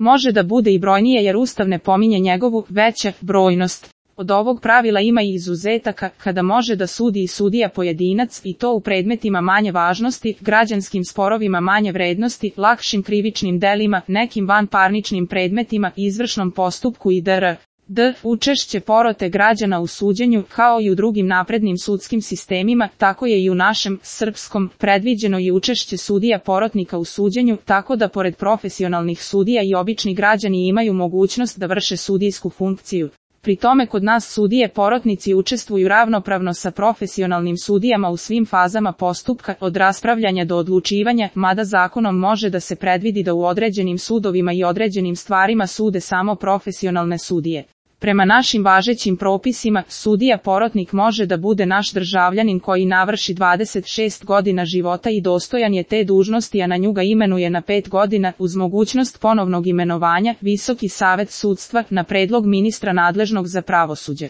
može da bude i brojnije jer Ustav ne pominje njegovu veća brojnost. Od ovog pravila ima i izuzetaka, kada može da sudi i sudija pojedinac i to u predmetima manje važnosti, građanskim sporovima manje vrednosti, lakšim krivičnim delima, nekim vanparničnim predmetima, izvršnom postupku i d. Učešće porote građana u suđenju, kao i u drugim naprednim sudskim sistemima, tako je i u našem, srpskom, predviđeno i učešće sudija porotnika u suđenju, tako da pored profesionalnih sudija i obični građani imaju mogućnost da vrše sudijsku funkciju. Pri tome kod nas sudije porotnici učestvuju ravnopravno sa profesionalnim sudijama u svim fazama postupka, od raspravljanja do odlučivanja, mada zakonom može da se predvidi da u određenim sudovima i određenim stvarima sude samo profesionalne sudije. Prema našim važećim propisima, sudija porotnik može da bude naš državljanin koji navrši 26 godina života i dostojan je te dužnosti, a na nju ga imenuje na 5 godina, uz mogućnost ponovnog imenovanja, Visoki savet sudstva, na predlog ministra nadležnog za pravosuđe.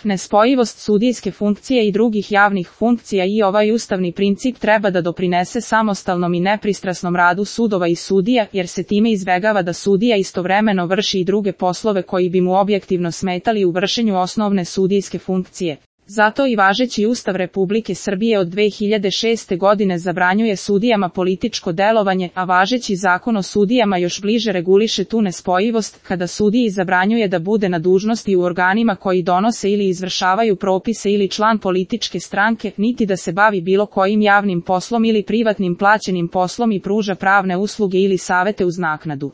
Nespojivost sudijske funkcije i drugih javnih funkcija i ovaj ustavni princip treba da doprinese samostalnom i nepristrasnom radu sudova i sudija, jer se time izbegava da sudija istovremeno vrši i druge poslove koji bi mu objektivno smetali u vršenju osnovne sudijske funkcije. Zato i važeći Ustav Republike Srbije od 2006. godine zabranjuje sudijama političko delovanje, a važeći Zakon o sudijama još bliže reguliše tu nespojivost, kada sudiji zabranjuje da bude na dužnosti u organima koji donose ili izvršavaju propise ili član političke stranke, niti da se bavi bilo kojim javnim poslom ili privatnim plaćenim poslom i pruža pravne usluge ili savete uz naknadu.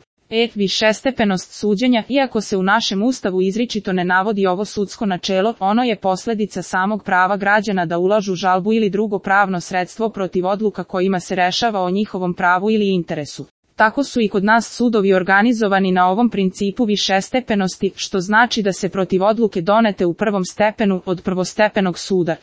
Višestepenost suđenja. Iako se u našem Ustavu izričito ne navodi ovo sudsko načelo, ono je posljedica samog prava građana da ulažu žalbu ili drugo pravno sredstvo protiv odluka kojima se rešava o njihovom pravu ili interesu. Tako su i kod nas sudovi organizovani na ovom principu višestepenosti, što znači da se protiv odluke donete u prvom stepenu od prvostepenog suda